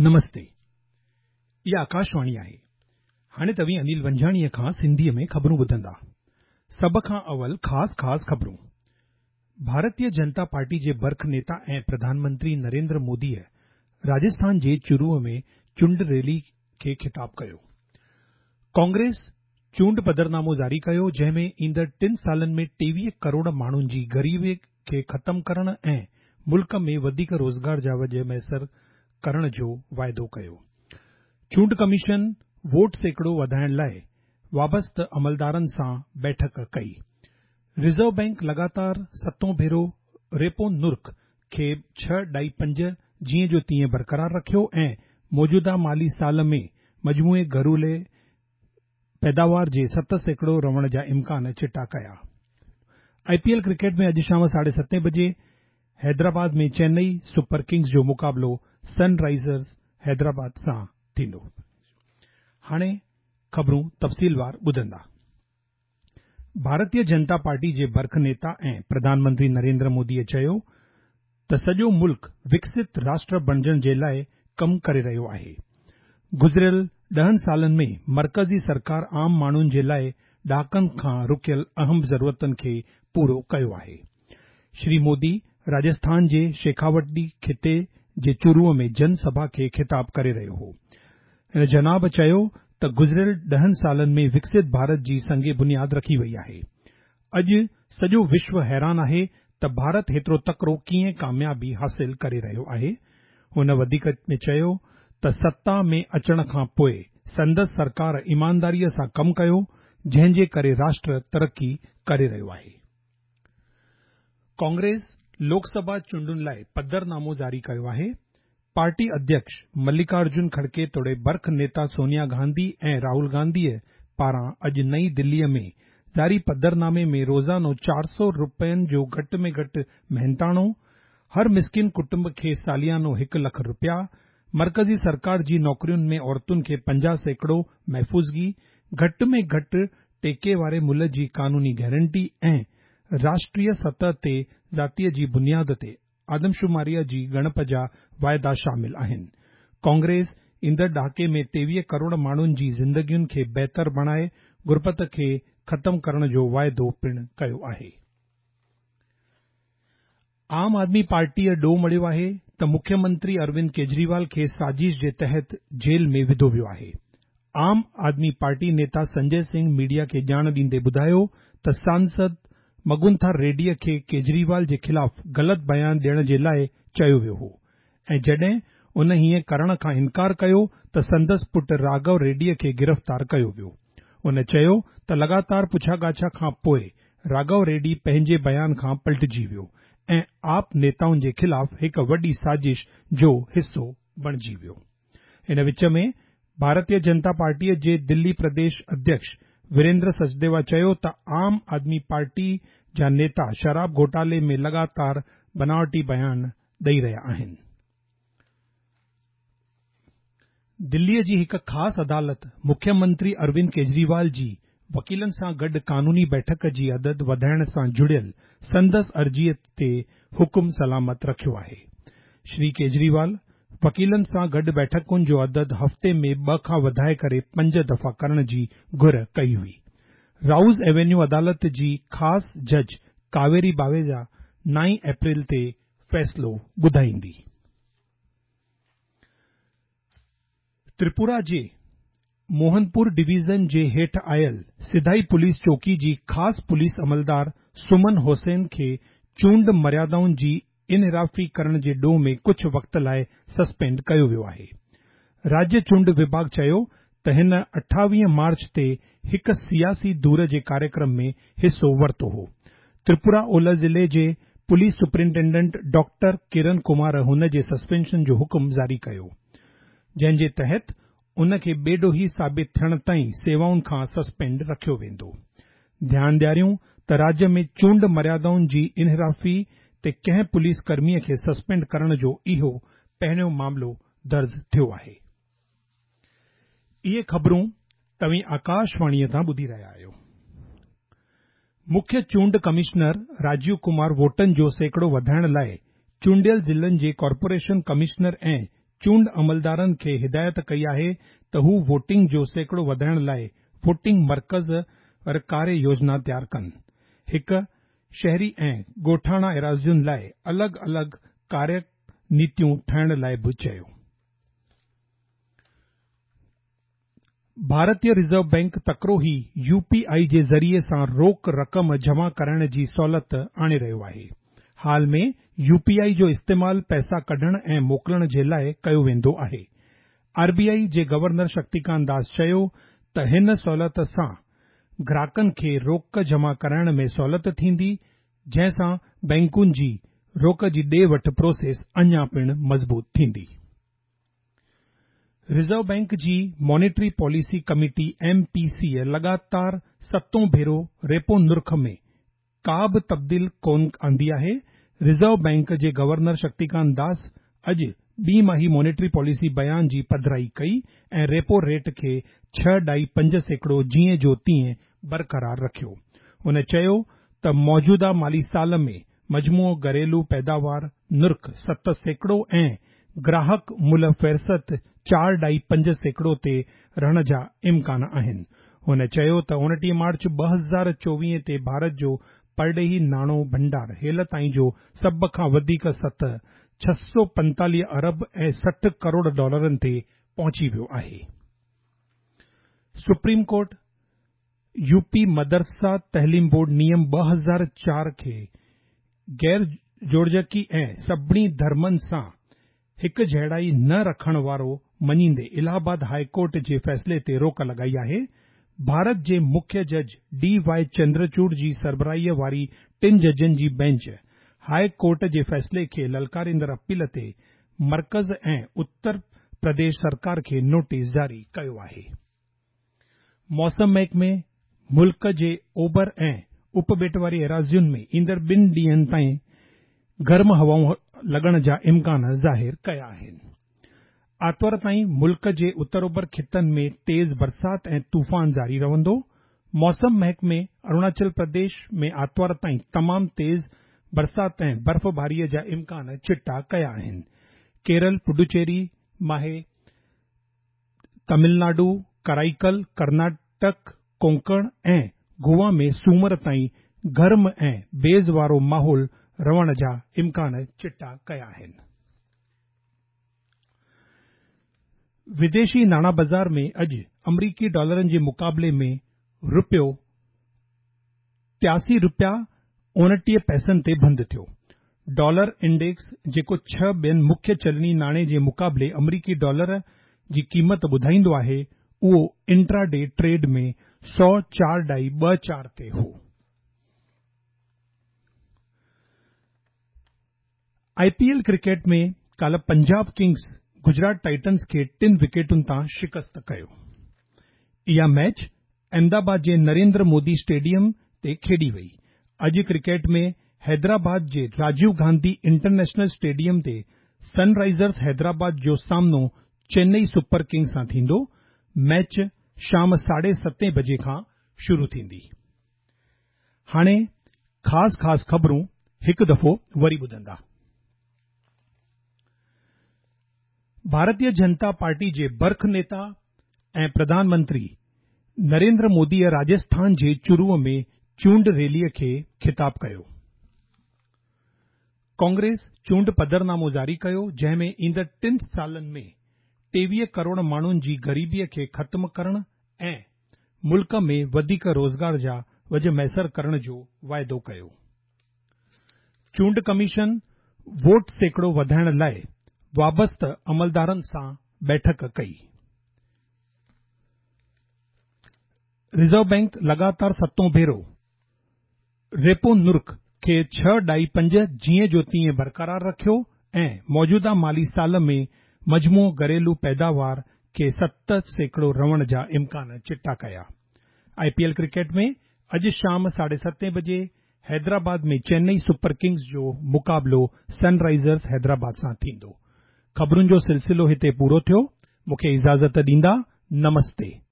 نمستي. اها آڪاشواڻي آهي. هاڻي توهين انيل ونجهاڻيء کان سنڌيء ۾ خبرون ٻڌندا. سڀ کان اول خاص خاص خبرون. ڀارتيه جنتا پارٽي جي برک نيتا ۽ پرڌان منتري نريندر موديء راجسٿان جي چورو ۾ چونڊ ريلي کي خطاب ڪيو. ڪانگريس چونڊ پڌرنامو جاري ڪيو، جنهن ۾ ايندڙ ٽن سالن ۾ 23 ڪروڙ ماڻهن جي غريبي کي ختم ڪرڻ ۽ ملڪ ۾ وڌيڪ روزگار جا وجهه ميسر ڪرڻ جو واعدو ڪيو. چونڊ ڪميشن ووٽ سيڪڙو وڌائڻ لاء وابسته عملدارن سان بيٺڪ ڪئي. رزرو بئنڪ لڳاتار ستون ڀيرو ريپو نرخ کي ڇهه ڏائي پنج جيئن جو تيئن برقرار رکيو ۽ موجوده مالي سال ۾ مجموعي گهرولي پيداوار جي 7% رهڻ جا امڪان چٽا ڪيا. آء پي ايل ڪرڪيٽ ۾ اڄ شام ساڍي ستين بجي حيدرآباد ۾ چينئي سپر ڪنگز جو مقابلو سن رائيزرز حيدرآباد سان ٿيندو. هاڻي خبرون تفصيلوار ٻڌندا. ڀارتيه جنتا پارٽي جي برک نيتا ۽ پرڌان منتري نريندر موديء چيو ته سڄو ملڪ وڪست راشٽر بڻجڻ جي لاء ڪم ڪري رهيو آهي. گذريل ڏهن سالن ۾ مرڪزي سرڪار عام ماڻهن جي لاء ڏهاڪن کان رڪيل اهم ضرورتن کي پورو ڪيو آهي. شري مودي راجسٿان جي شيخاوٽي خطي جي چورو ۾ جن سڀا کي خطاب ڪري رهيو هو. هن جناب چيو ته گذريل ڏهن سالن ۾ وڪست ڀارت جي سنگ بنياد رکي وئي آهي. اڄ سڄو وشو حيران آهي ته ڀارت هيترو تڪڙو ڪيئن ڪاميابي حاصل ڪري رهيو آهي. هن وڌيڪ ۾ چيو ته ستا ۾ اچڻ کان پوء سندس سرڪار ايمانداريء سان ڪم ڪيو، جنهن جي ڪري راشٽر ترقي ڪري رهيو آهي. ڪانگريس لوڪ سڀا چونڊن لاء پڌرنامو جاري ڪيو آهي. پارٽي اڌيڪش ملڪارجن کڙڪي توڙي برک نيتا سونيا گانڌي ۽ راهول گانڌيء پاران اڄ نئين دليء ۾ جاري پڌرنامي ۾ روزانو 400 رپين جو گهٽ ۾ گهٽ محنتاڻو، هر مسڪين ڪٽنب کي ساليانو 1 لک رپيا، مرڪزي سرڪار جي نوڪرين ۾ عورتن کي 50% محفوظگي، گهٽ ۾ گهٽ ٽيڪي واري ملهه جي قانوني گارنٽي ۽ راشٽريه سطح تي ذاتيء جي بنياد تي آدمشماريء جي ڳڻپ جا واعدا شامل آهن. ڪانگريس ايندڙ ڏهاڪي ۾ 23 ڪروڙ ماڻهن جي زندگين کي بهتر بڻائي غربت کي ختم ڪرڻ جو واعدو پڻ ڪيو آهي. عام آدمي پارٽيء ڏوهه مڙهيو آهي ته مکيه منتري اروند ڪيجريوال کي سازش جي تحت جيل ۾ وڌو ويو آهي. عام آدمي پارٽي نيتا سنجي سنگهه ميڊيا کي ڄاڻ ڏيندي ٻڌايو ته سانسد مگنٿا ريڊيء کي ڪيجريوال جي خلاف غلط بيان ڏيڻ جي لاء چيو ويو هو ۽ جڏهن ان هيئن ڪرڻ کان انڪار ڪيو ته سندس پٽ راگهو ريڊيء کي گرفتار ڪيو ويو. هن چيو ته لڳاتار پڇاڳاڇا کان پوء راگهو ريڊي پنهنجي بيان کان پلٽجي ويو ۽ آپ نيتائن جي خلاف هڪ وڏي سازش جو حصو بڻجي ويو. ان وچ ۾ ڀارتيه جنتا پارٽيء جي دلي پرديش اڌيڪش وريندر سچديوا چيو ته عام آدمي پارٽي جا نيتا شراب گهوٽالي ۾ لڳاتار بناوٽي بيان ڏئي رهيا آهن. دليء جي هڪ خاص عدالت مکيه منتري اروند ڪيجريوال جي وڪيلن سان گڏ قانوني بيٺڪ جي عدد وڌائڻ سان جڙيل سندس عرضيء تي حڪم سلامت رکيو آهي. شري ڪيجريوال وڪيلن سان گڏ بيٺڪن جو عدد هفتي ۾ ٻه کان وڌائي ڪري پنج دفعا ڪرڻ جي گهر ڪئي هئي. رائوز ايونيو عدالت جي خاص جج ڪاويري باويجا 9 اپريل تي فيصلو ٻڌائيندي. تريپورا جي موهنپور ڊويزن جي هيٺ آيل سڌائي پوليس چوڪي جي خاص پوليس عملدار سمن حسين کي چونڊ مريادائن جي انحرافي ڪرڻ جي ڏوهه ۾ ڪجهه وقت لاء سسپينڊ ڪيو ويو آهي. راجيه چونڊ وڀاڳ چيو ته هن 28 مارچ تي هڪ سياسي دور جي ڪاريڪرم ۾ حصو ورتو هو. تريپورا اولهه ضلعي جي پوليس سپرنٽينڊنٽ ڊاڪٽر ڪرن ڪمار هن جي سسپينشن جو حڪم جاري ڪيو، جنهن جي تحت ان کي بيڏوهي ثابت ٿيڻ تائين سيوائن کان سسپينڊ رکيو ويندو. ڌيان ڏياريون ته راجيه ۾ چونڊ مريادائن جي انحرافي تي ڪنهن پوليس ڪرميء کي سسپينڊ ڪرڻ جو اهو پهريون معاملو درج ٿيو آهي. اهي خبرون توهين آڪاشواڻيء تان ٻڌي رهيا آهيو. مکيه چونڊ ڪمشنر راجيو ڪمار ووٽن جو سيڪڙو وڌائڻ لاء چونڊيل ضلعن جي ڪارپوريشن ڪمشنر ۽ چونڊ عملدارن کي هدايت ڪئي آهي ته هو ووٽنگ جو سيڪڙو وڌائڻ لاء ووٽنگ مرڪز ور ڪاريه يوجنا تيار ڪن. هڪ شهري ۽ ڳوٺاڻا ايراضين لاء الڳ الڳ ڪاريه نيتيون ٺاهڻ لاء به چيو. ڀارتي رزرو بئنڪ تڪڙو ئي يو پي آء جي ذريعي سان روڪ رقم جمع ڪرائڻ جي سهولت آڻي رهيو آهي. حال ۾ يو پي آء جو استعمال پئسا ڪڍڻ ۽ موڪلڻ جي لاء ڪيو ويندو آهي. آر بي آء جي گورنر شڪتيڪانت داس چيو ته هن سهولت سان گراهڪن کي روڪ جمع ڪرائڻ ۾ سهولت ٿيندي جنهن سان بئنڪن جي روڪ جي ڏي وٺ پروسيس اڃا پڻ مضبوط ٿيندي. رزرو بئنڪ جي monetary policy committee, M P C, لڳاتار ستون ڀيرو ريپو نرخ ۾ ڪا به تبديل ڪونه آندي آهي. رزرو بئنڪ جي گورنر شڪتيڪانت داس اڄ ٻي ماهي مانيٽري پاليسي بيان جي پڌرائي ڪئي ۽ ريپو ريٽ کي 6.5% جيئن جو تيئن برقرار رکيو. هن چيو ته موجوده مالي سال ۾ مجموعو گهريلو پيداوار نرخ 7% ۽ گراهڪ ملهه فهرست 4.5% تي رهڻ جا امڪان آهن. هن چيو ته 29 مارچ 2024 تي ڀارت جو پرڏيهي ناڻو ڀنڊار هيل تائين جو سڀ کان وڌيڪ سطح 645 ارب ۽ 60 ڪروڙ ڊالرن تي پهچي ويو آهي. سپريم ڪورٽ يو پي مدرسه تعليم بورڊ نيم 2004 کي غير جوڙجڪي ۽ سڀني ڌرمن سان هڪجهڙائي نه رکڻ وارو مڃيندي الهه آباد هاء ڪورٽ جي فيصلي تي روڪ لڳائي آهي. ڀارت جي مکيه جج ڊي وائي چندرچوڙ جي سربراهي واري ٽن ججن جي بئنچ هاء ڪورٽ جي فيصلي کي للڪاريندڙ اپيل تي مرڪز ۽ اتر پرديش سرڪار کي نوٽيس جاري ڪيو آهي. موسم محڪمي ملڪ جي اوڀر ۽ اپٻيٽ واري ايراضين ۾ ايندڙ ٻن ڏينهن تائين گرم هوائون لڳڻ جا امڪان ظاهر ڪيا آهن. آتوار تائين ملڪ جي اتر اوڀر خطن ۾ تيز برسات ۽ طوفان جاري رهندو. موسم محڪمي اروناچل پرديش ۾ آتوار تائين تمام تيز برسات ۽ برفباري جا امڪان چٽا ڪيا آهن. ڪيرل، پڊوچيري، ماهي، تامل ناڊو، ڪرائيڪل، ڪرناٽڪ، ڪونڪڻ ۽ گوا ۾ سومر تائين گرم ۽ بيض وارو ماحول رهڻ جا امڪان چٽا ڪيا آهن. وديشي ناڻا بازار ۾ اڄ آمريڪي ڊالرن جي مقابلي ۾ رپيو 83 رپيا 29 پئسن تي بند ٿيو. ڊالر انڊيڪس جيڪو ڇهه ٻين مکيه چلني ناڻي جي مقابلي آمريڪي ڊالر جي قيمت ٻڌائيندو آهي اهو انٽرا ڊي ٽريڊ ۾ 104.24 تي هو. آء پي ايل ڪرڪيٽ ۾ ڪالهه پنجاب ڪنگز گجرات ٽائٽنز کي ٽن وڪيٽن تان شڪست ڪيو. اها ميچ احمدآباد جي نريندر مودي اسٽيڊيم تي کيڏي وئي. اڄ ڪرڪيٽ ۾ حيدرآباد جي راجيو گانڌي انٽرنيشنل اسٽيڊيم تي سن رائيزرز حيدرآباد جو سامنو چنئي سپر ڪنگز سان ٿيندو. ميچ شام ساڍي ستين بجي کان شروع ٿيندي. هاڻي خاص خاص خبرون هڪ دفعو وري ٻڌندا. ڀارتيه جنتا پارٽي جي برک نيتا ۽ پرڌان منتري نريندر موديء راجسٿان جي چورو ۾ چونڊ ريليء کي خطاب ڪيو. ڪانگريس چونڊ پڌرنامو جاري ڪيو جنهن ۾ ايندڙ ٽن سالن ۾ 23 ڪروڙ ماڻهن جي غريبيء کي ختم ڪرڻ ۽ ملڪ ۾ وڌيڪ روزگار جا وجهه ميسر ڪرڻ جو واعدو ڪيو. چونڊ ڪميشن ووٽ سيڪڙو وڌائڻ لاء وابسته عملدارن سان بيٺڪ ڪئي. رزرو بئنڪ لڳاتار ستون ڀيرو ريپو نرخ کي 6.5 جيئن جو تيئن برقرار رکيو ۽ موجوده مالي سال ۾ مجموعو گهريلو پيداوار کي 7% رهڻ جا امڪان چٽا ڪيا. آء پي ايل ڪرڪيٽ ۾ اڄ شام ساڍي ستين بجي حيدرآباد ۾ چنئي سپر ڪنگز جو مقابلو سن رائيزرز حيدرآباد سان ٿيندو. خبرن جو سلسلو هتي پورو ٿيو. مون کي اجازت ڏيندا. نمستي.